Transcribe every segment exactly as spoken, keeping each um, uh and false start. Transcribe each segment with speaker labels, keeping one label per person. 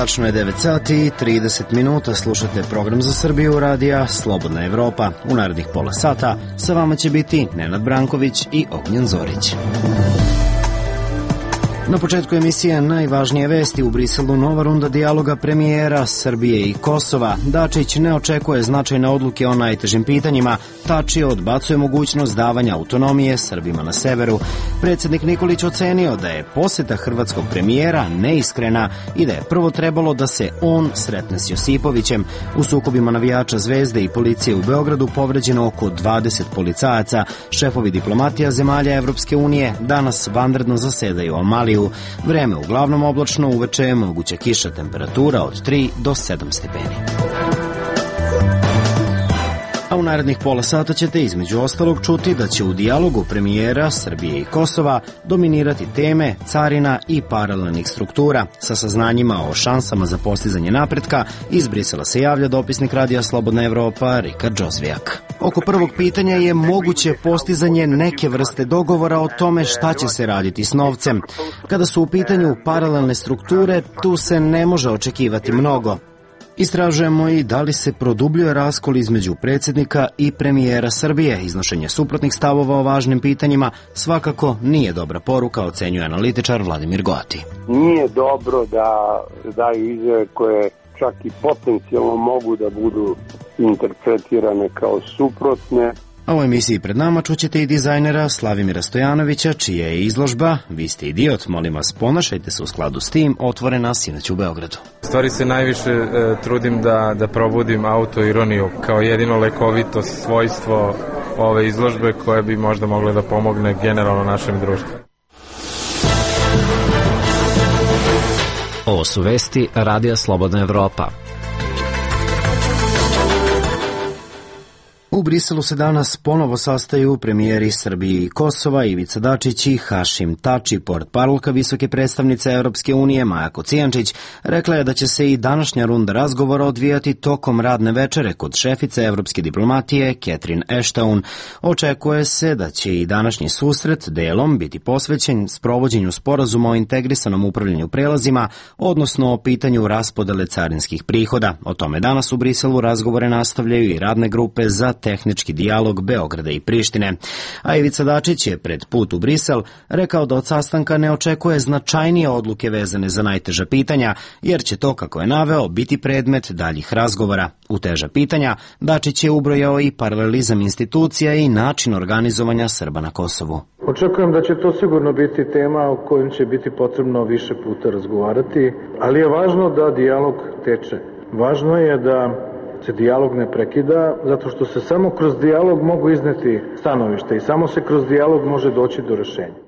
Speaker 1: Tačno je devet sati i trideset minuta, slušate program za Srbiju radija Slobodna Evropa. U narednih pola sata sa vama će biti Nenad Branković i Ognjen Zorić. Na početku emisije najvažnije vesti. U Briselu nova runda dijaloga premijera Srbije i Kosova. Dačić ne očekuje značajne odluke o najtežim pitanjima. Tači odbacuje mogućnost davanja autonomije Srbima na severu. Predsjednik Nikolić ocenio da je poseta hrvatskog premijera neiskrena i da je prvo trebalo da se on sretne s Josipovićem. U sukobima navijača Zvezde i policije u Beogradu povređeno oko dvadeset policajaca. Šefovi diplomatija zemalja Evropske unije danas vanredno zasedaju o Maliju. Vreme uglavnom oblačno, uveče je moguća kiša, temperatura od tri do sedam stepeni. A u narednih pola sata ćete između ostalog čuti da će u dijalogu premijera Srbije i Kosova dominirati teme carina i paralelnih struktura. Sa saznanjima o šansama za postizanje napretka iz Brisela se javlja dopisnik radija Slobodna Evropa Rikard Džozvijak. Oko prvog pitanja je moguće postizanje neke vrste dogovora o tome šta će se raditi s novcem. Kada su u pitanju paralelne strukture, tu se ne može očekivati mnogo. Istražujemo i da li se produbljuje raskol između predsjednika i premijera Srbije. Iznošenje suprotnih stavova o važnim pitanjima svakako nije dobra poruka, ocenjuje analitičar Vladimir Goati.
Speaker 2: Nije dobro da daju izjave koje čak i potencijalno mogu da budu interpretirane kao suprotne.
Speaker 1: A u emisiji pred nama čućete i dizajnera Slavimira Stojanovića, čija je izložba Vi ste idiot, molim vas ponašajte se u skladu s tim, otvorena sinoć u Beogradu.
Speaker 3: U stvari se najviše e, trudim da, da probudim autoironiju kao jedino lekovito svojstvo ove izložbe koje bi možda mogle da pomogne generalno našem društvu.
Speaker 4: Ovo su vesti Radija Slobodna Evropa.
Speaker 1: U Briselu se danas ponovo sastaju premijeri Srbije i Kosova Ivica Dačić i Hašim Tači. Portparolka visoke predstavnice Evropske unije Maja Kocijančić rekla je da će se i današnja runda razgovora odvijati tokom radne večere kod šefice evropske diplomatije Catherine Ashton. Očekuje se da će i današnji susret delom biti posvećen sprovođenju sporazuma o integrisanom upravljanju prelazima, odnosno o pitanju raspodele carinskih prihoda. O tome danas u Briselu razgovore nastavljaju i radne grupe za tehnički dijalog Beograda i Prištine. A Ivica Dačić je pred put u Brisel rekao da od sastanka ne očekuje značajnije odluke vezane za najteža pitanja, jer će to, kako je naveo, biti predmet daljih razgovora. U teža pitanja Dačić je ubrojao i paralelizam institucija i način organizovanja Srba na Kosovu.
Speaker 5: Očekujem da će to sigurno biti tema o kojoj će biti potrebno više puta razgovarati, ali je važno da dijalog teče. Važno je da se dijalog ne prekida, zato što se samo kroz dijalog mogu izneti stanovište i samo se kroz dijalog može doći do rešenja.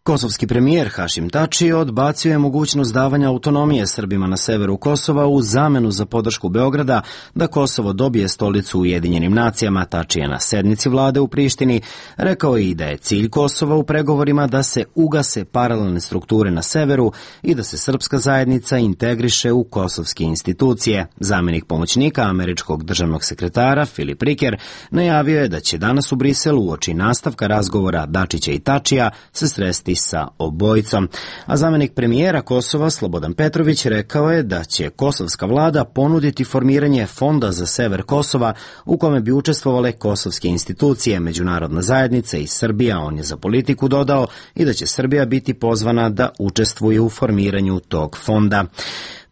Speaker 1: Kosovski premijer Hašim Tači odbacio je mogućnost davanja autonomije Srbima na severu Kosova u zamenu za podršku Beograda da Kosovo dobije stolicu u Ujedinjenim nacijama. Tači je na sednici vlade u Prištini rekao i da je cilj Kosova u pregovorima da se ugase paralelne strukture na severu i da se srpska zajednica integriše u kosovske institucije. Zamenik pomoćnika američkog državnog sekretara Filip Riker najavio je da će danas u Briselu uoči nastavka razgovora Dačića i Tačija se sresti sa obojicom. A zamenik premijera Kosova Slobodan Petrović rekao je da će kosovska vlada ponuditi formiranje fonda za sever Kosova u kome bi učestvovale kosovske institucije, međunarodna zajednica i Srbija. On je za politiku dodao i da će Srbija biti pozvana da učestvuje u formiranju tog fonda.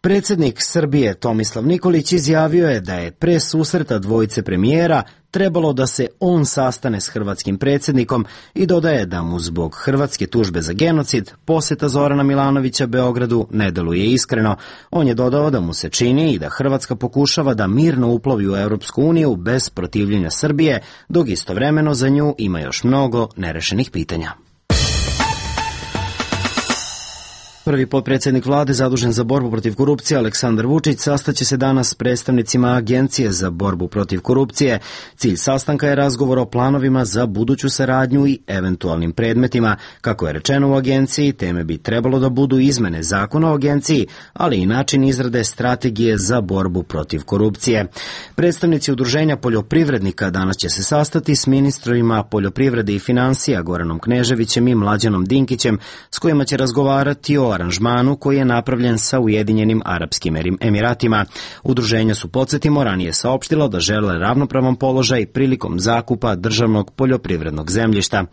Speaker 1: Predsjednik Srbije Tomislav Nikolić izjavio je da je pre susreta dvojice premijera trebalo da se on sastane s hrvatskim predsjednikom i dodaje da mu zbog hrvatske tužbe za genocid poseta Zorana Milanovića Beogradu ne deluje iskreno. On je dodao da mu se čini i da Hrvatska pokušava da mirno uplovi u Europsku uniju bez protivljenja Srbije, dok istovremeno za nju ima još mnogo nerešenih pitanja. Prvi potpredsjednik vlade zadužen za borbu protiv korupcije Aleksandar Vučić sastaće se danas s predstavnicima Agencije za borbu protiv korupcije. Cilj sastanka je razgovor o planovima za buduću saradnju i eventualnim predmetima. Kako je rečeno u agenciji, teme bi trebalo da budu izmene zakona o agenciji, ali i način izrade strategije za borbu protiv korupcije. Predstavnici udruženja poljoprivrednika danas će se sastati s ministrima poljoprivrede i finansija Goranom Kneževićem i Mlađanom Dinkićem, s kojima će razgovarati o aranžmanu koji je napravljen sa Ujedinjenim Arapskim Emiratima. Udruženja su, podsjetimo, ranije saopštila da žele ravnopravan položaj prilikom zakupa državnog poljoprivrednog zemljišta.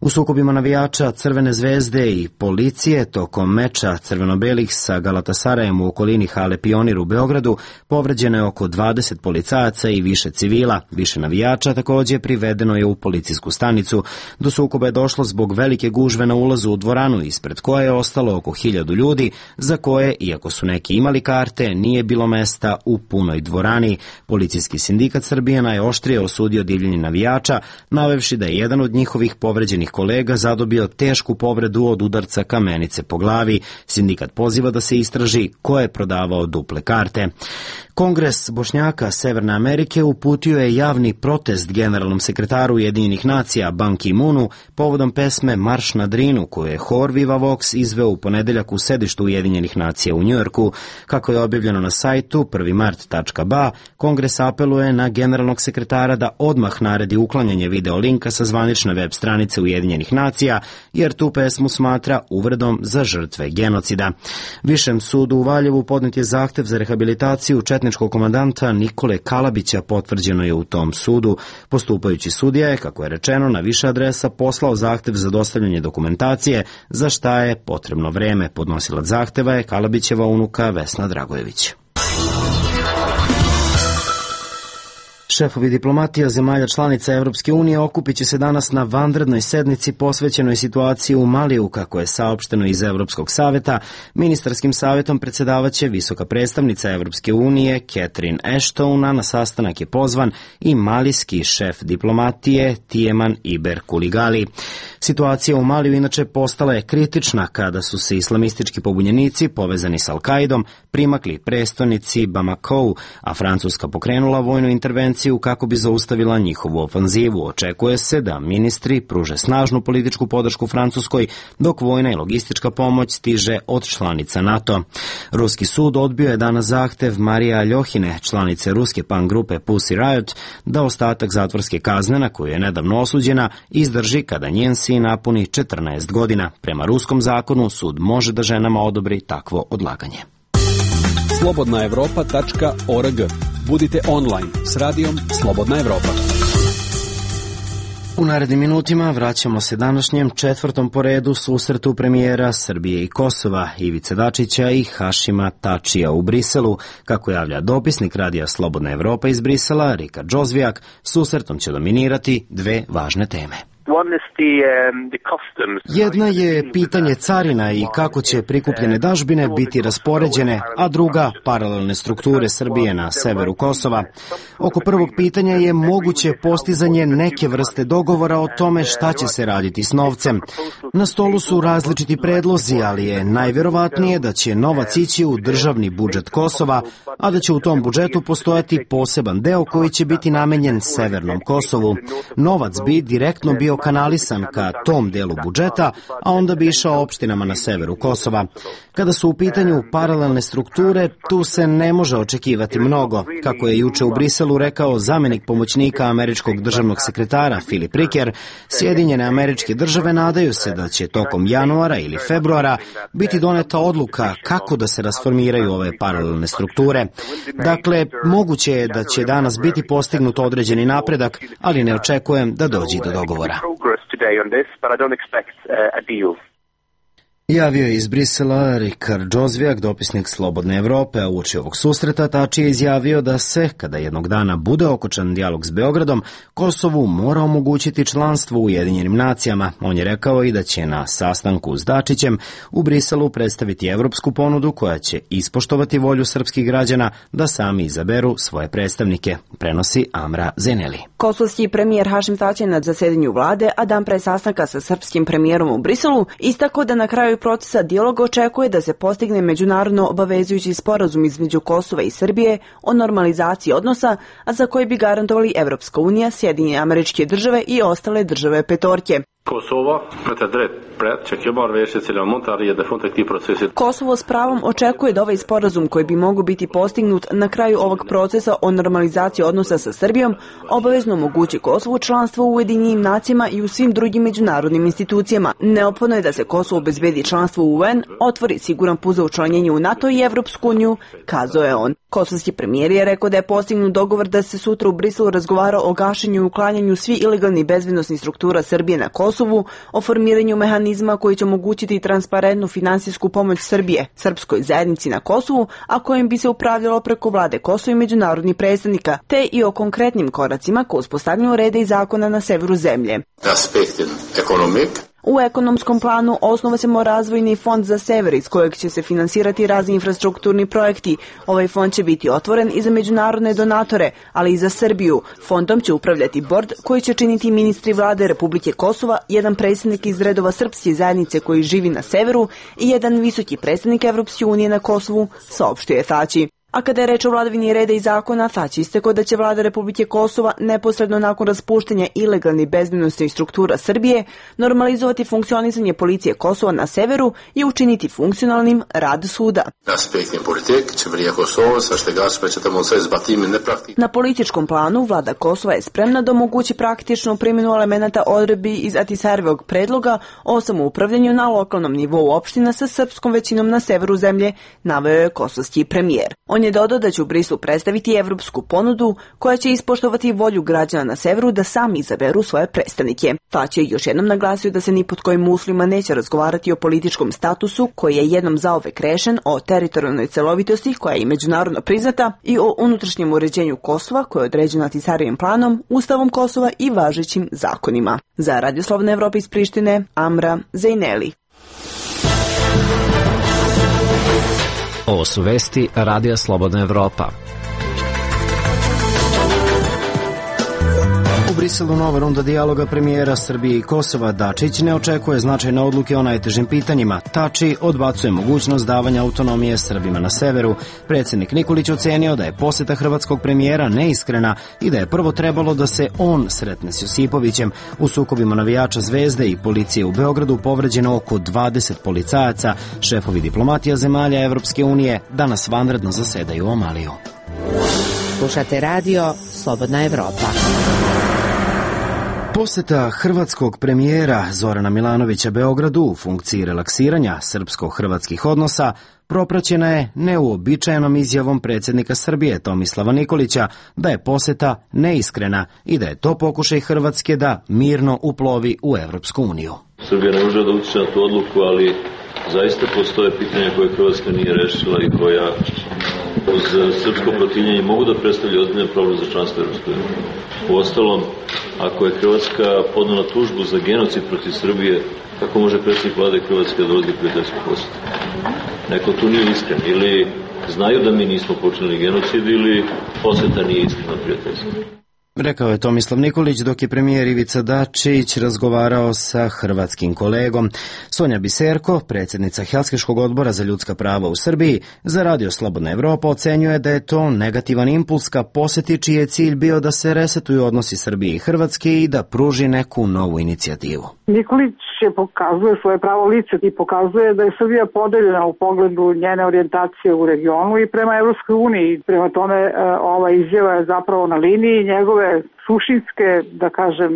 Speaker 1: U sukobima navijača Crvene zvezde i policije tokom meča crveno-belih sa Galatasarajem u okolini hale Pionir u Beogradu povređeno je oko dvadeset policajaca i više civila. Više navijača također privedeno je u policijsku stanicu. Do sukoba je došlo zbog velike gužve na ulazu u dvoranu, ispred koje je ostalo oko hiljadu ljudi, za koje, iako su neki imali karte, nije bilo mesta u punoj dvorani. Policijski sindikat Srbije najoštrije osudio divljenje navijača, navevši da je jedan od njihovih povređenih kolega zadobio tešku povredu od udarca kamenice po glavi. Sindikat poziva da se istraži ko je prodavao duple karte. Kongres Bošnjaka Severne Amerike uputio je javni protest generalnom sekretaru Ujedinjenih nacija Ban Ki-moonu povodom pesme Marš na Drinu, koju je hor Viva Vox izveo u ponedeljak u sedištu Ujedinjenih nacija u Njujorku. Kako je objavljeno na sajtu prvi mart tačka ba, Kongres apeluje na generalnog sekretara da odmah naredi uklanjanje video linka sa zvanične web stranice Ujedinjenih nacija, jer tu pesmu smatra uvredom za žrtve genocida. Višem sudu u Valjevu podnet je zahtev za rehabilitaciju četničkog komandanta Nikole Kalabića, potvrđeno je u tom sudu. Postupajući sudija je, kako je rečeno, na više adresa poslao zahtev za dostavljanje dokumentacije, za šta je potrebno vreme. Podnosilac zahteva je Kalabićeva unuka Vesna Dragojević. Šefovi diplomatija zemalja članica Evropske unije okupit će se danas na vanrednoj sednici posvećenoj situaciji u Maliju, kako je saopšteno iz Evropskog saveta. Ministarskim savetom predsjedavaće visoka predstavnica Evropske unije Catherine Ashton, a na sastanak je pozvan i malijski šef diplomatije Tieman Iber Kuligali. Situacija u Maliju inače postala je kritična kada su se islamistički pobunjenici povezani s Al-Kaidom primakli prestonici Bamakou, a Francuska pokrenula vojnu intervenciju kako bi zaustavila njihovu ofanzivu. Očekuje se da ministri pruže snažnu političku podršku Francuskoj, dok vojna i logistička pomoć stiže od članica NATO. Ruski sud odbio je danas zahtev Marije Aljohine, članice ruske punk grupe Pussy Riot, da ostatak zatvorske kazne, na koju je nedavno osuđena, izdrži kada njen sin napuni četrnaest godina. Prema ruskom zakonu sud može da ženama odobri takvo odlaganje.
Speaker 6: slobodna evropa tačka org. Budite online s radijom Slobodna Evropa.
Speaker 1: U narednim minutima vraćamo se današnjem četvrtom po redu susretu premijera Srbije i Kosova Ivice Dačića i Hašima Tačija u Briselu. Kako javlja dopisnik radija Slobodna Evropa iz Brisela, Rika Džozvijak, susretom će dominirati dve važne teme. Jedna je pitanje carina i kako će prikupljene dažbine biti raspoređene, a druga paralelne strukture Srbije na severu Kosova. Oko prvog pitanja je moguće postizanje neke vrste dogovora o tome šta će se raditi s novcem. Na stolu su različiti predlozi, ali je najvjerovatnije da će novac ići u državni budžet Kosova, a da će u tom budžetu postojati poseban deo koji će biti namenjen severnom Kosovu. Novac bi direktno bio kanalisan ka tom delu budžeta, a onda bi išao opštinama na severu Kosova. Kada su u pitanju paralelne strukture, tu se ne može očekivati mnogo. Kako je juče u Briselu rekao zamenik pomoćnika američkog državnog sekretara Filip Riker, Sjedinjene Američke Države nadaju se da će tokom januara ili februara biti doneta odluka kako da se rasformiraju ove paralelne strukture. Dakle, moguće je da će danas biti postignut određeni napredak, ali ne očekujem da dođe do dogovora. Javio je iz Brisela Rikard Džozvijak, dopisnik Slobodne Evrope, a uoči ovog susreta Tači je izjavio da se, kada jednog dana bude okončan dijalog s Beogradom, Kosovu mora omogućiti članstvo u Ujedinjenim nacijama. On je rekao i da će na sastanku s Dačićem u Briselu predstaviti evropsku ponudu koja će ispoštovati volju srpskih građana da sami izaberu svoje predstavnike, prenosi Amra Zeneli.
Speaker 7: Kosovski premijer Hašim Tači na zasedanju vlade, a dan pre sastanka sa srpskim premijerom u Briselu, istako da na kraju procesa dijaloga očekuje da se postigne međunarodno obavezujući sporazum između Kosova i Srbije o normalizaciji odnosa, a za koji bi garantovali Evropska unija, Sjedinjene Američke Države i ostale države petorke. Kosovo s pravom očekuje da ovaj sporazum koji bi mogao biti postignut na kraju ovog procesa o normalizaciji odnosa sa Srbijom obavezno omogući Kosovu članstvo u Ujedinjenim nacijama i u svim drugim međunarodnim institucijama. Neophodno je da se Kosovo obezbedi članstvo u U N, otvori siguran put za učlanjenje u NATO i Evropsku uniju, kazao je on. Kosovski premijer je rekao da je postignut dogovor da se sutra u Briselu razgovara o gašenju i uklanjanju svih ilegalnih bezbednosnih struktura Srbije na Kosovu, o formiranju mehanizma koji će omogućiti transparentnu finansijsku pomoć Srbije, srpskoj zajednici na Kosovu, a kojim bi se upravljalo preko vlade Kosova i međunarodnih predstavnika, te i o konkretnim koracima ko uspostavljanju reda i zakona na severu zemlje. U ekonomskom planu osnova se razvojni fond za sever iz kojeg će se finansirati razni infrastrukturni projekti. Ovaj fond će biti otvoren i za međunarodne donatore, ali i za Srbiju. Fondom će upravljati bord koji će činiti ministri vlade Republike Kosova, jedan predstavnik iz redova srpske zajednice koji živi na severu i jedan visoki predstavnik Evropske unije na Kosovu, saopštio je Thaci. A kada je reč o vladavini reda i zakona, Thaci istakao da će vlada Republike Kosova neposredno nakon raspuštanja ilegalnih bezbednosnih struktura Srbije normalizovati funkcionisanje policije Kosova na severu i učiniti funkcionalnim rad suda. Na političkom planu vlada Kosova je spremna da omogući praktičnu primjenu elemenata odredbi iz Ahtisarijevog predloga o samoupravljanju na lokalnom nivou opština sa srpskom većinom na severu zemlje, naveo je kosovski premijer. On je dodao da će u Brislu predstaviti evropsku ponudu koja će ispoštovati volju građana na severu da sami izaberu svoje predstavnike. Thaci je još jednom naglasio da se ni pod kojim uslovima neće razgovarati o političkom statusu koji je jednom zauvek rešen, o teritorijalnoj celovitosti koja je i međunarodno priznata i o unutrašnjem uređenju Kosova koje je određeno Ahtisarijevim planom, Ustavom Kosova i važećim zakonima. Za Radio Slobodna Evropa iz Prištine, Amra Zejneli.
Speaker 4: Ovo su vesti Radija Slobodna Evropa.
Speaker 1: U Briselu nova runda dijaloga premijera Srbije i Kosova. Dačić ne očekuje značajne odluke o najtežim pitanjima. Thaci odbacuje mogućnost davanja autonomije Srbima na severu. Predsjednik Nikolić ocenio da je poseta hrvatskog premijera neiskrena i da je prvo trebalo da se on sretne s Josipovićem. U sukobima navijača Zvezde i policije u Beogradu povređeno oko dvadeset policajaca. Šefovi diplomatija zemalja Evropske unije danas vanredno zasedaju u Omaliju.
Speaker 8: Slušate radio Slobodna Evropa.
Speaker 1: Poseta hrvatskog premijera Zorana Milanovića Beogradu u funkciji relaksiranja srpsko-hrvatskih odnosa propraćena je neuobičajenom izjavom predsjednika Srbije Tomislava Nikolića da je poseta neiskrena i da je to pokušaj Hrvatske da mirno uplovi u Evropsku uniju.
Speaker 9: Srbija ne može da utiče na tu odluku, ali zaista postoje pitanja koje Hrvatska nije rešila i koja uz srpsko protivljenje mogu da predstavlja ozbiljan problem za članstvo Evropske unije. Uostalom, ako je Hrvatska podnela tužbu za genocid protiv Srbije, kako može predsjednik vlade Hrvatske da dolazi prijateljsku posetu? Neko tu nije iskren, ili znaju da mi nismo počinili genocid, ili poseta nije iskrena prijateljstva.
Speaker 1: Rekao je Tomislav Nikolić dok je premijer Ivica Dačić razgovarao sa hrvatskim kolegom. Sonja Biserko, predsjednica Helsinškog odbora za ljudska prava u Srbiji, za Radio Slobodna Evropa ocenjuje da je to negativan impuls ka poseti čiji je cilj bio da se resetuju odnosi Srbije i Hrvatske i da pruži neku novu inicijativu.
Speaker 10: Nikolić je pokazuje svoje pravo lice i pokazuje da je Srbija podeljena u pogledu njene orijentacije u regionu i prema Evropskoj uniji. Prema tome ova izjava je zapravo na liniji njegove suštinske, da kažem,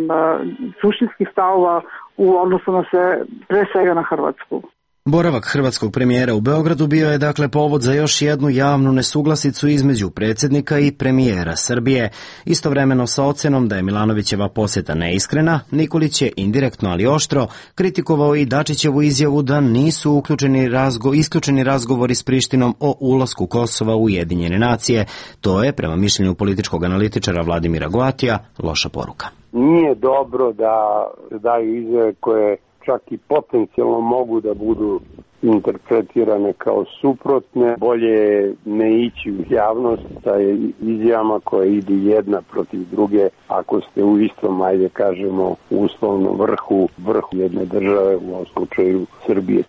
Speaker 10: suštinskih stavova u odnosu na sve, pre svega na Hrvatsku.
Speaker 1: Boravak hrvatskog premijera u Beogradu bio je dakle povod za još jednu javnu nesuglasicu između predsjednika i premijera Srbije. Istovremeno sa ocenom da je Milanovićeva posjeta neiskrena, Nikolić je indirektno ali oštro kritikovao i Dačićevu izjavu da nisu uključeni razgo, isključeni razgovori s Prištinom o ulasku Kosova u Ujedinjene nacije. To je, prema mišljenju političkog analitičara Vladimira Goatija, loša poruka.
Speaker 2: Nije dobro da daju izjave koje čak i potencijalno mogu da budu interpretirane kao suprotne. Bolje ne ići u javnost sa izjavama koje idu jedna protiv druge ako ste u istom, ajde kažemo, uslovno vrhu, vrhu jedne države, u ovom slučaju Srbije.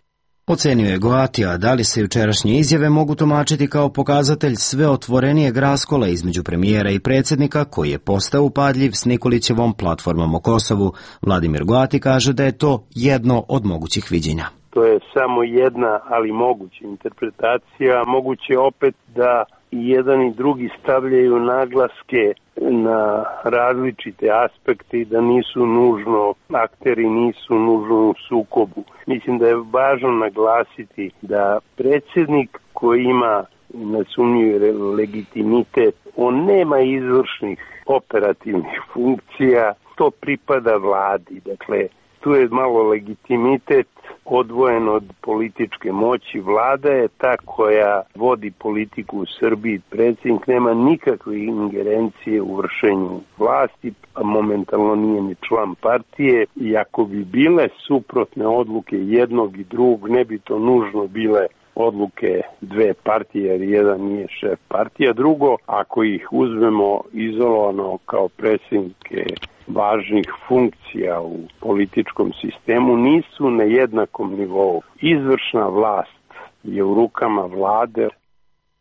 Speaker 1: Ocenio je Goatija da li se jučerašnje izjave mogu tumačiti kao pokazatelj sve otvorenijeg raskola između premijera i predsjednika koji je postao upadljiv s Nikolićevom platformom o Kosovu. Vladimir Goati kaže da je to jedno od mogućih viđenja.
Speaker 2: To je samo jedna, ali moguća interpretacija. Moguće opet da i jedan i drugi stavljaju naglaske na različite aspekte i da nisu nužno, akteri nisu nužno u sukobu. Mislim da je važno naglasiti da predsjednik koji ima nesumnjivi legitimitet, on nema izvršnih operativnih funkcija, to pripada vladi. Dakle, tu je malo legitimitet odvojen od političke moći. Vlada je ta koja vodi politiku u Srbiji. Predsjednik nema nikakve ingerencije u vršenju vlasti, a momentalno nije ni član partije. I ako bi bile suprotne odluke jednog i drugog, ne bi to nužno bile odluke dve partije, jer jedan nije šef partija. Drugo, ako ih uzmemo izolovano kao predsjednike važnih funkcija u političkom sistemu, nisu na jednakom nivou. Izvršna vlast je u rukama vlade.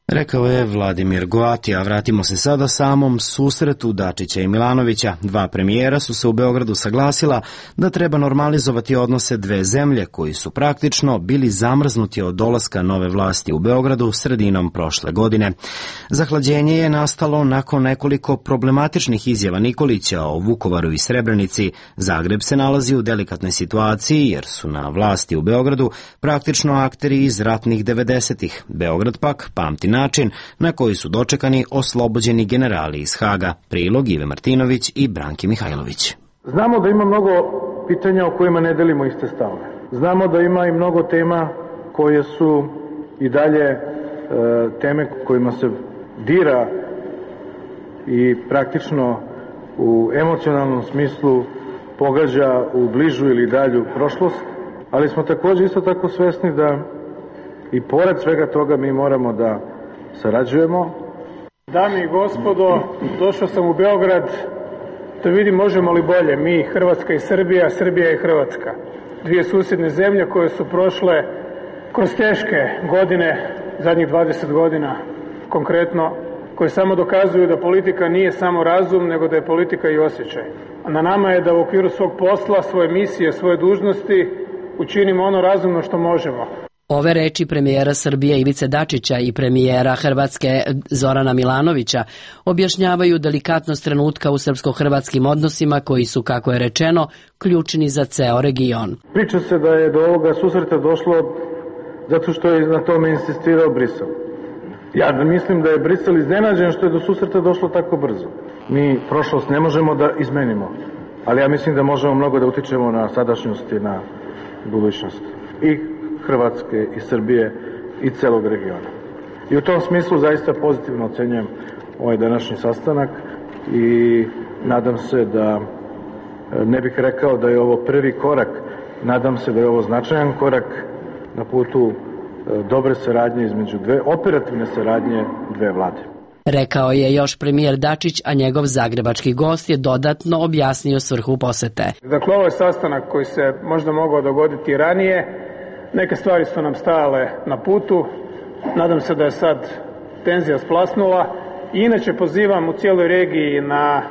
Speaker 1: Rekao je Vladimir Goati, a vratimo se sada samom susretu Dačića i Milanovića. Dva premijera su se u Beogradu saglasila da treba normalizovati odnose dve zemlje koji su praktično bili zamrznuti od dolaska nove vlasti u Beogradu sredinom prošle godine. Zahlađenje je nastalo nakon nekoliko problematičnih izjava Nikolića o Vukovaru i Srebrenici. Zagreb se nalazi u delikatnoj situaciji jer su na vlasti u Beogradu praktično akteri iz ratnih devedesetih. Beograd pak pamti način na koji su dočekani oslobođeni generali iz Haga. Prilog Ive Martinović i Branki Mihajlović.
Speaker 5: Znamo da ima mnogo pitanja o kojima ne delimo iste stavove. Znamo da ima i mnogo tema koje su i dalje e, teme kojima se dira i praktično u emocionalnom smislu pogađa u bližu ili dalju prošlost, ali smo također isto tako svesni da i pored svega toga mi moramo da sarađujemo.
Speaker 11: Dame i gospodo, došao sam u Beograd da vidim možemo li bolje mi, Hrvatska i Srbija, Srbija i Hrvatska. Dvije susjedne zemlje koje su prošle kroz teške godine, zadnjih dvadeset godina konkretno, koje samo dokazuju da politika nije samo razum, nego da je politika i osjećaj. A na nama je da u okviru svog posla, svoje misije, svoje dužnosti učinimo ono razumno što možemo.
Speaker 12: Ove reči premijera Srbije Ivice Dačića i premijera Hrvatske Zorana Milanovića objašnjavaju delikatnost trenutka u srpsko-hrvatskim odnosima koji su, kako je rečeno, ključni za ceo region.
Speaker 5: Priča se da je do ovoga susreta došlo zato što je na tome insistirao Brisel. Ja mislim da je Brisel iznenađen što je do susreta došlo tako brzo. Mi prošlost ne možemo da izmenimo, ali ja mislim da možemo mnogo da utičemo na sadašnjost i na budućnost i Hrvatske i Srbije i celog regiona. I u tom smislu zaista pozitivno ocenjujem ovaj današnji sastanak i nadam se da, ne bih rekao da je ovo prvi korak, nadam se da je ovo značajan korak na putu dobre saradnje između dve, operativne saradnje dve vlade.
Speaker 12: Rekao je još premijer Dačić, a njegov zagrebački gost je dodatno objasnio svrhu posete.
Speaker 11: Dakle, ovo je sastanak koji se možda mogao dogoditi ranije. Neke stvari su nam stajale na putu. Nadam se da je sad tenzija splasnula. I inače pozivam u cijeloj regiji na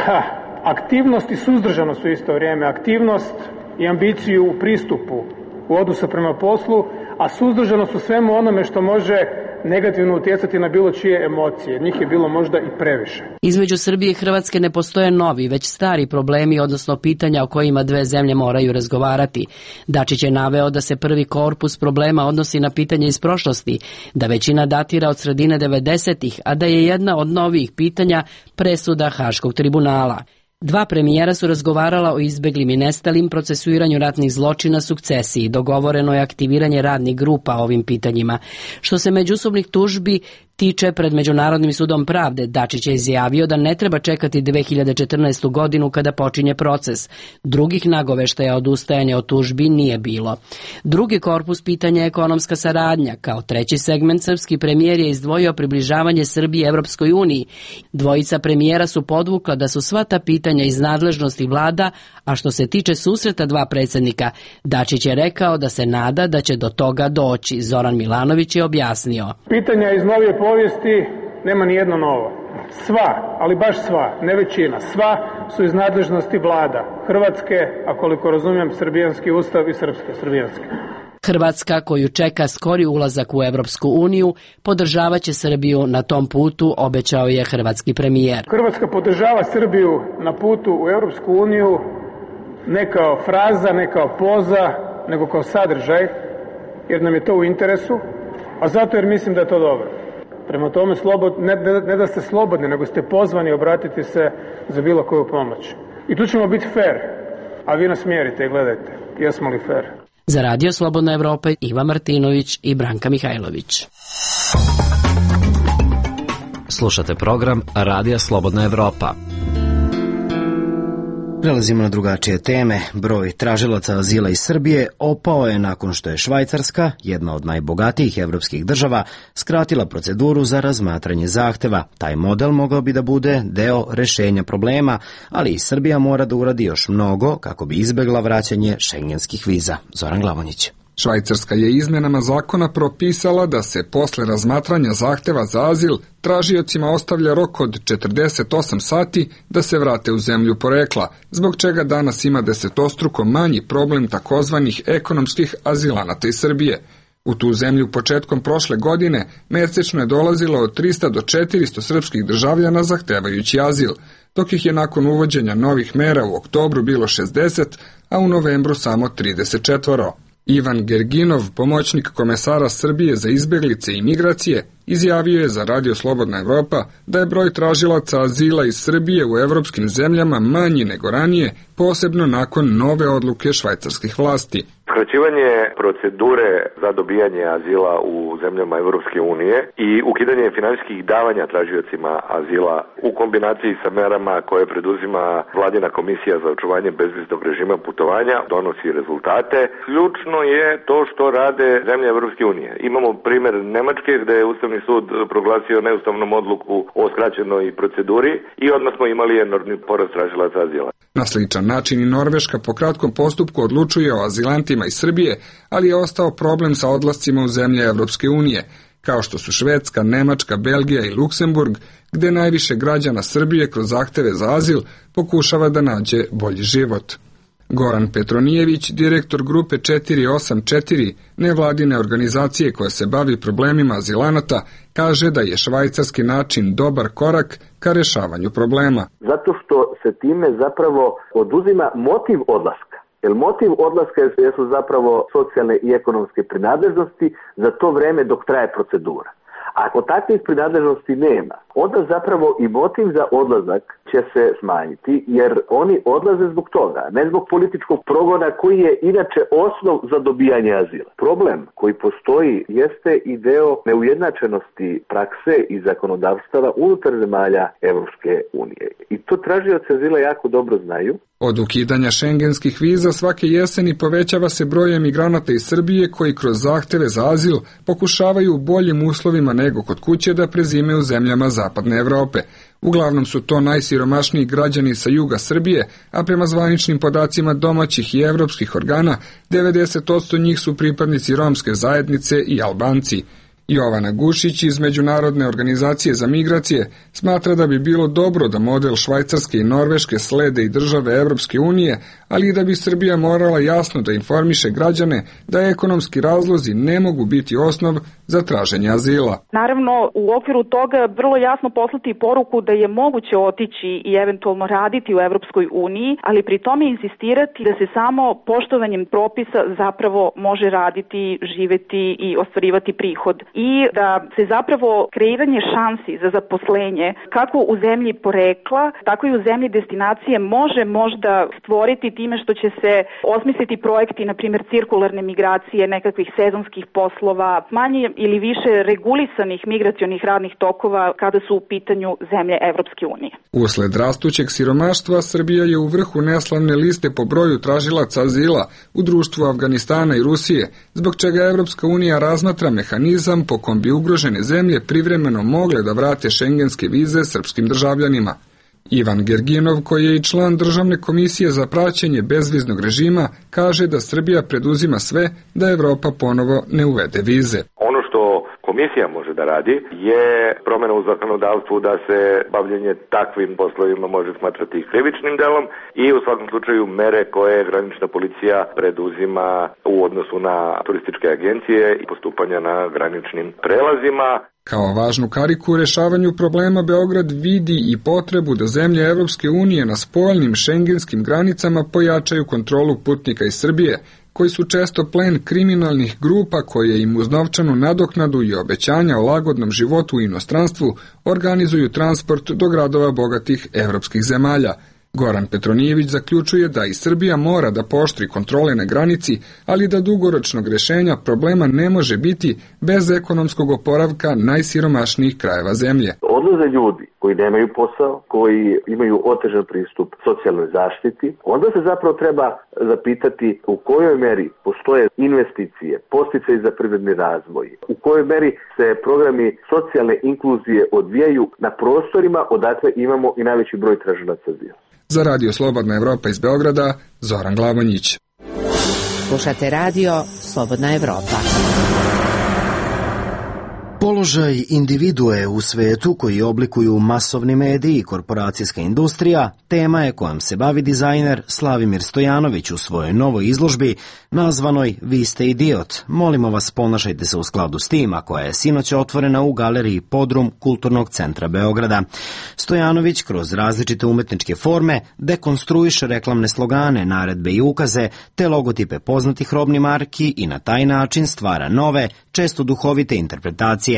Speaker 11: ha, aktivnost i suzdržanost u isto vrijeme. Aktivnost i ambiciju u pristupu u odnosu prema poslu, a suzdržanost u svemu onome što može negativno utjecati na bilo čije emocije. Njih je bilo možda i previše.
Speaker 12: Između Srbije i Hrvatske ne postoje novi, već stari problemi, odnosno pitanja o kojima dve zemlje moraju razgovarati. Dačić je naveo da se prvi korpus problema odnosi na pitanje iz prošlosti, da većina datira od sredine devedesetih, a da je jedna od novih pitanja presuda Haškog tribunala. Dva premijera su razgovarala o izbeglim i nestalim, procesuiranju ratnih zločina, sukcesiji. Dogovoreno je aktiviranje radnih grupa o ovim pitanjima. Što se međusobnih tužbi tiče pred Međunarodnim sudom pravde, Dačić je izjavio da ne treba čekati dve hiljade četrnaestu. godinu kada počinje proces. Drugih nagoveštaja odustajanja od tužbi nije bilo. Drugi korpus pitanja je ekonomska saradnja. Kao treći segment srpski premijer je izdvojio približavanje Srbije Evropskoj uniji. Dvojica premijera su podvukla da su sva ta pitanja iz nadležnosti vlada, a što se tiče susreta dva predsjednika, Dačić je rekao da se nada da će do toga doći. Zoran Milanović je objasnio.
Speaker 11: Pitanja iz novije povijesti nema ni jedno novo. Sva, ali baš sva, ne većina, sva su iz nadležnosti vlada Hrvatske, a koliko razumijem srbijanski ustav i srpske, srbijanski.
Speaker 12: Hrvatska, koju čeka skori ulazak u Evropsku uniju, podržavaće Srbiju na tom putu, obećao je hrvatski premijer.
Speaker 11: Hrvatska podržava Srbiju na putu u Evropsku uniju ne kao fraza, ne kao poza, nego kao sadržaj, jer nam je to u interesu, a zato jer mislim da je to dobro. Prema tome, slobod, ne, ne da ste slobodni, nego ste pozvani obratiti se za bilo koju pomoć. I tu ćemo biti fair, a vi nas mjerite i gledajte, jesmo li fair.
Speaker 12: Za Radio Slobodna Evropa, Iva Martinović i Branka Mihajlović.
Speaker 4: Slušate program Radija Slobodna Evropa.
Speaker 1: Prelazimo na drugačije teme. Broj tražilaca azila iz Srbije opao je nakon što je Švajcarska, jedna od najbogatijih evropskih država, skratila proceduru za razmatranje zahteva. Taj model mogao bi da bude deo rešenja problema, ali i Srbija mora da uradi još mnogo kako bi izbegla vraćanje šengenskih viza. Zoran Glavonjić.
Speaker 13: Švajcarska je izmenama zakona propisala da se posle razmatranja zahteva za azil tražiocima ostavlja rok od četrdeset osam sati da se vrate u zemlju porekla, zbog čega danas ima desetostruko manji problem takozvanih ekonomskih azilanata iz Srbije. U tu zemlju početkom prošle godine mesečno je dolazilo od trista do četiristo srpskih državljana zahtevajući azil, dok ih je nakon uvođenja novih mera u oktobru bilo šezdeset, a u novembru samo trideset četiri. Ivan Gerginov, pomoćnik komesara Srbije za izbeglice i migracije, izjavio je za Radio Slobodna Evropa da je broj tražilaca azila iz Srbije u evropskim zemljama manji nego ranije, posebno nakon nove odluke švajcarskih vlasti.
Speaker 14: Skraćivanje procedure za dobijanje azila u zemljama Evropske unije i ukidanje finansijskih davanja tražiocima azila u kombinaciji sa merama koje preduzima Vladina komisija za očuvanje bezviznog režima putovanja donosi rezultate. Ključno je to što rade zemlje Evropske unije. Imamo primjer Nemačke gde je Ustavni sud proglasio neustavnom odluku o skraćenoj proceduri i odmah smo imali enormni porast tražilaca azila.
Speaker 13: Na sličan način i Norveška po kratkom postupku odlučuje o azilantima iz Srbije, ali je ostao problem sa odlascima u zemlje Evropske unije, kao što su Švedska, Nemačka, Belgija i Luksemburg, gde najviše građana Srbije kroz zahteve za azil pokušava da nađe bolji život. Goran Petronijević, direktor grupe četiri osam četiri, nevladine organizacije koja se bavi problemima azilanata, kaže da je švajcarski način dobar korak ka rešavanju problema.
Speaker 15: Zato što se time zapravo oduzima motiv odlaska. Jer motiv odlaska jesu zapravo socijalne i ekonomske prinadležnosti za to vreme dok traje procedura. Ako takvih prinadležnosti nema, onda zapravo i motiv za odlazak će se smanjiti, jer oni odlaze zbog toga, ne zbog političkog progona koji je inače osnov za dobijanje azila. Problem koji postoji jeste i deo neujednačenosti prakse i zakonodavstava unutar zemalja Evropske unije. I to tražioci azila jako dobro znaju.
Speaker 13: Od ukidanja šengenskih viza svake jeseni povećava se broj emigranata iz Srbije koji kroz zahteve za azil pokušavaju u boljim uslovima nego kod kuće da prezime u zemljama Zapadne Evrope. Uglavnom su to najsiromašniji građani sa juga Srbije, a prema zvaničnim podacima domaćih i evropskih organa, devedeset posto njih su pripadnici romske zajednice i Albanci. Jovana Gušić iz Međunarodne organizacije za migracije smatra da bi bilo dobro da model Švajcarske i Norveške slede i države Evropske unije, ali i da bi Srbija morala jasno da informiše građane da ekonomski razlozi ne mogu biti osnov za traženje azila.
Speaker 16: Naravno, u okviru toga vrlo jasno poslati poruku da je moguće otići i eventualno raditi u Evropskoj uniji, ali pri tome insistirati da se samo poštovanjem propisa zapravo može raditi, živeti i ostvarivati prihod i da se zapravo kreiranje šansi za zaposlenje kako u zemlji porekla, tako i u zemlji destinacije može možda stvoriti time što će se osmisliti projekti, na primjer cirkularne migracije, nekakvih sezonskih poslova, manje ili više regulisanih migracionih radnih tokova kada su u pitanju zemlje Evropske unije.
Speaker 13: Usled rastućeg siromaštva, Srbija je u vrhu neslavne liste po broju tražilaca azila u društvu Afganistana i Rusije, zbog čega Evropska unija razmatra mehanizam po kom bi ugrožene zemlje privremeno mogle da vrate šengenske vize srpskim državljanima. Ivan Gerginov, koji je i član Državne komisije za praćenje bezviznog režima, kaže da Srbija preduzima sve da Evropa ponovo ne uvede vize.
Speaker 14: Ono što komisija može da radi je promjena u zakonodavstvu da se bavljenje takvim poslovima može smatrati krivičnim delom i u svakom slučaju mere koje granična policija preduzima u odnosu na turističke agencije i postupanja na graničnim prelazima.
Speaker 13: Kao važnu kariku u rešavanju problema Beograd vidi i potrebu da zemlje Evropske unije na spoljnim šengenskim granicama pojačaju kontrolu putnika iz Srbije, koji su često plen kriminalnih grupa koje im uz novčanu nadoknadu i obećanja o lagodnom životu u inostranstvu organizuju transport do gradova bogatih evropskih zemalja. Goran Petronijević zaključuje da i Srbija mora da pooštri kontrole na granici, ali da dugoročnog rešenja problema ne može biti bez ekonomskog oporavka najsiromašnijih krajeva zemlje.
Speaker 15: Odlaze ljudi koji nemaju posao, koji imaju otežan pristup socijalnoj zaštiti, onda se zapravo treba zapitati u kojoj meri postoje investicije, podsticaji za privredni razvoj, u kojoj meri se programi socijalne inkluzije odvijaju na prostorima odakle imamo i najveći broj tražilaca azila.
Speaker 13: Za Radio Slobodna Evropa iz Beograda, Zoran Glavonjić.
Speaker 8: Slušate Radio Slobodna Evropa.
Speaker 1: Položaj individue u svetu koji oblikuju masovni mediji i korporacijska industrija tema je kojom se bavi dizajner Slavimir Stojanović u svojoj novoj izložbi nazvanoj Vi ste idiot. Molimo vas, ponašajte se u skladu s tim, a koja je sinoć otvorena u galeriji Podrum Kulturnog centra Beograda. Stojanović kroz različite umetničke forme dekonstruiše reklamne slogane, naredbe i ukaze te logotipe poznatih robnih marki i na taj način stvara nove, često duhovite interpretacije.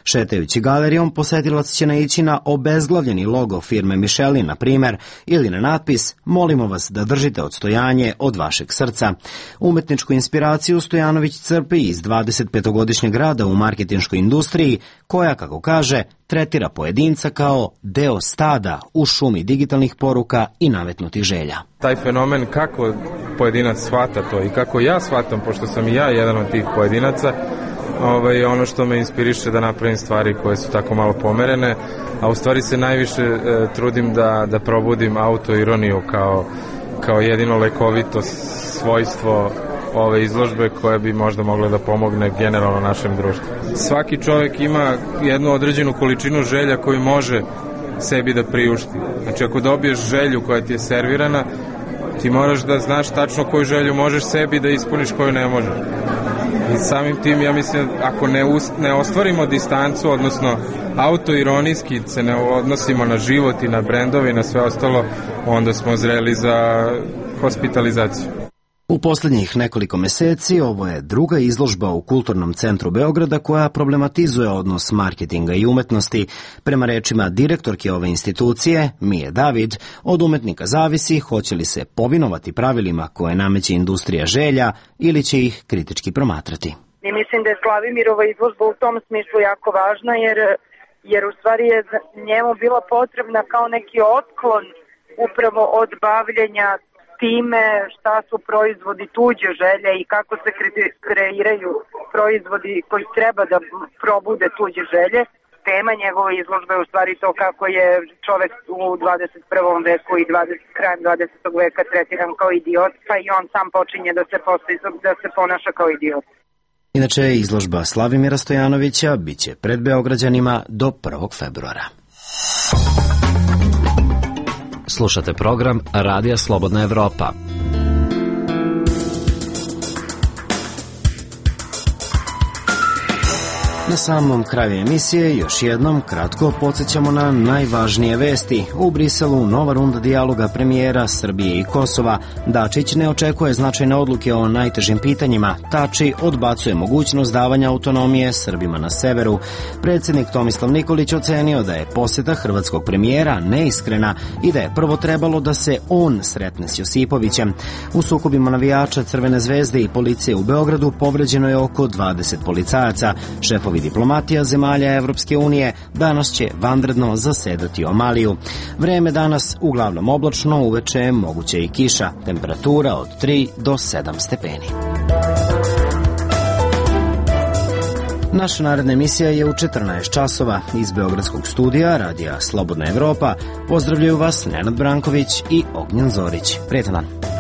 Speaker 1: Šetajući galerijom, posetilac će naići na obezglavljeni logo firme Michelin, na primer, ili na natpis Molimo vas da držite odstojanje od vašeg srca. Umetničku inspiraciju Stojanović crpi iz dvadesetpetogodišnjeg rada u marketinškoj industriji, koja, kako kaže, tretira pojedinca kao deo stada u šumi digitalnih poruka i nametnutih želja.
Speaker 3: Taj fenomen kako pojedinac shvata to i kako ja shvatam, pošto sam i ja jedan od tih pojedinaca, Ovaj, ono što me inspiriše da napravim stvari koje su tako malo pomerene, a u stvari se najviše e, trudim da, da probudim autoironiju kao, kao jedino lekovito svojstvo ove izložbe koje bi možda mogla da pomogne generalno našem društvu. Svaki čovjek ima jednu određenu količinu želja koju može sebi da priušti. Znači ako dobiješ želju koja ti je servirana, ti moraš da znaš tačno koju želju možeš sebi da ispuniš, koju ne možeš. I samim tim, ja mislim, ako ne, us, ne ostvarimo distancu, odnosno autoironijski se ne odnosimo na život i na brendove i na sve ostalo, onda smo zreli za hospitalizaciju.
Speaker 1: U posljednjih nekoliko meseci ovo je druga izložba u Kulturnom centru Beograda koja problematizuje odnos marketinga i umetnosti. Prema rečima direktorke ove institucije, Mije David, od umetnika zavisi hoće li se povinovati pravilima koje nameće industrija želja ili će ih kritički promatrati.
Speaker 17: I mislim da je Slavimirova izložba u tom smislu jako važna jer, jer u stvari je njemu bila potrebna kao neki otklon upravo od bavljenja time šta su proizvodi tuđe želje i kako se kreiraju proizvodi koji treba da probude tuđe želje. Tema njegove izložbe je u stvari to kako je čovek u dvadeset prvom veku i dvadeset, krajem dvadesetog veka tretiran kao idiot, pa i on sam počinje da se, postoji, da se ponaša kao idiot.
Speaker 1: Inače, izložba Slavimira Stojanovića biće pred Beograđanima do prvog februara.
Speaker 4: Slušate program Radija Slobodna Evropa.
Speaker 1: Na samom kraju emisije još jednom kratko podsjećamo na najvažnije vesti. U Briselu nova runda dijaloga premijera Srbije i Kosova. Dačić ne očekuje značajne odluke o najtežim pitanjima. Tači odbacuje mogućnost davanja autonomije Srbima na severu. Predsjednik Tomislav Nikolić ocenio da je posjeta hrvatskog premijera neiskrena i da je prvo trebalo da se on sretne s Josipovićem. U sukobima navijača Crvene zvezde i policije u Beogradu povređeno je oko dvadeset policajaca. Šefovi diplomatija zemalja Evropske unije danas će vanredno zasedati o Maliju. Vreme danas uglavnom oblačno, uveče moguće i kiša. Temperatura od tri do sedam stepeni. Naša naredna emisija je u četrnaest časova. Iz Beogradskog studija Radija Slobodna Evropa pozdravljaju vas Nenad Branković i Ognjen Zorić. Prijetan dan.